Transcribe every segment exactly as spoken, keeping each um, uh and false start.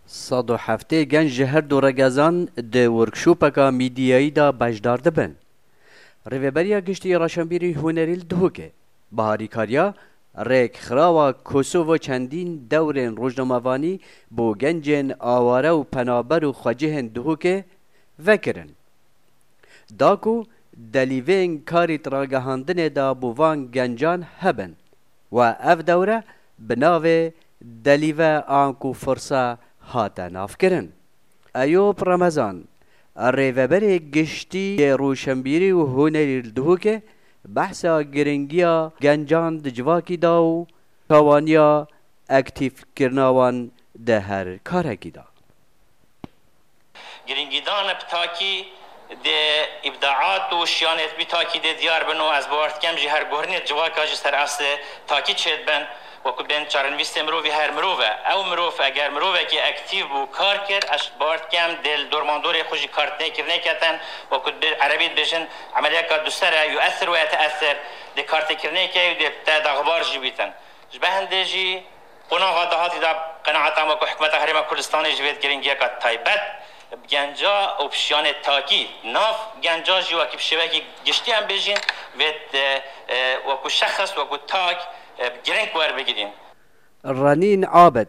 Sed û heftê genc ji her du regezan di workshopeka mîdiyayî de beşdar dibin. Rêveberiya Giştî Reşenbîrî Hunerî li Duhokê, Baharî Karya, rêkxirawa Kosovo çendîn dewrên rojnamevanî bo gencên aware û penaber û xwecihên Duhokê vekirin. Da ku delîvên karî di ragihandinê de bo van gencan hebin. We ev dewre bi navê Delîve anku Firse hate navkirin. Eyûp Remezan, rêveberê giştî yê rûşenbîrî û hunerî li Duhokê, behsa giringiya gencan di civakî da û çawaniya aktîfkirina wan di her karekî da. Giringîdana bi takî di îbdaat û şiyanê bi takî dê diyar bin û ez bawer dikim jî her guhrinê civaka jî ser eslê takî çêdibin, wekû bên çarenivîstê mirovî her mirov e. Ew mirov eger mirovekî aktîf bû, kar kir, ez bawer dikim dê li dormandorê xwe jî kartinêkirinê ketin, wekû bi erebî dibêjin emeliyeka duser e, yuesir ve yeteesir, dê kartêkirinê ke û dê te daxbar jî bîtin. Ji ber hindê jî qonaxa dahatî de qenaeta me ku hikûmeta Herêma Kurdistanê ji vê giringiyeka taybet bi genca û bi şiyanê takî nav genca jî wekî bi şêwekî giştî em bêjîn vê, e, e, wekû şexs, wekû tak, e, giring werbigirîn. Renîn Abid,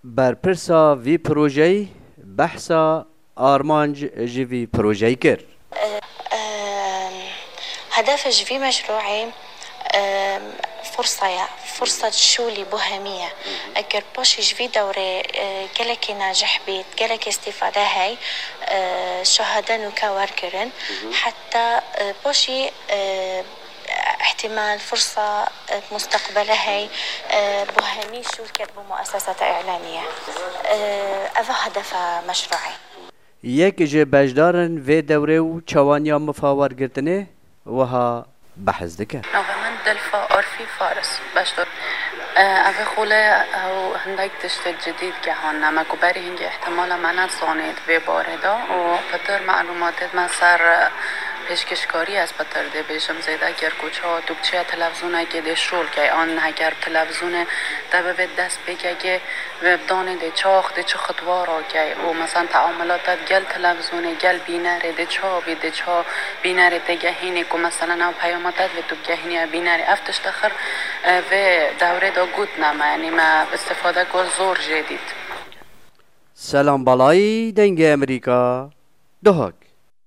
berpirsa vî projeyî, behsa armanc ji vî projeyî kir. Em, Hedefe ji vî meşrûî, em, fursa ye, fursa şûlî buhemî ye. Eger paşî ji vî dewrê, e, gelekî necih bît, gelekî îstîfade hey, e, şahade nûke werkirin. Heta, e, paşî, e, ihtimal, fursa, e, musteqbele hey, e, buhemî şûl ket bo muesesata îlamiye. E, ev hedefe meşrûî. Yek ji beşdarên vê dewrê û çawaniya mifa wergirtinê wiha behs dike. Navê min Dilfa Arfî Faris. Beşdar. E, ev ê xole ew hindek tiştê cidî digehanine me ku berî hingê ihtimala me nezanê di vê barê de û pitir melûmatê me ser, e, pêşkêşkarî ez pitir dê bêjim zêde kir ku çawa tu biçiye televizonekê dê şol key an heger televizonê te bivê dest pêkekê Ve danê dê çax, dê çi xitwa rakey û, meselen, teamulata gel televizonê, gel bînerê, dê çawa bî, dê çawa bînerê tê gehînê ku, meselen, ew peyama te divê tu gehînî ev bînerê. Ev tişt axir, e, vê dewrê de gotine me, yanî me îstîfadeko zor jê dît. Selam Balayî, Dengê Emerîka, Duhok.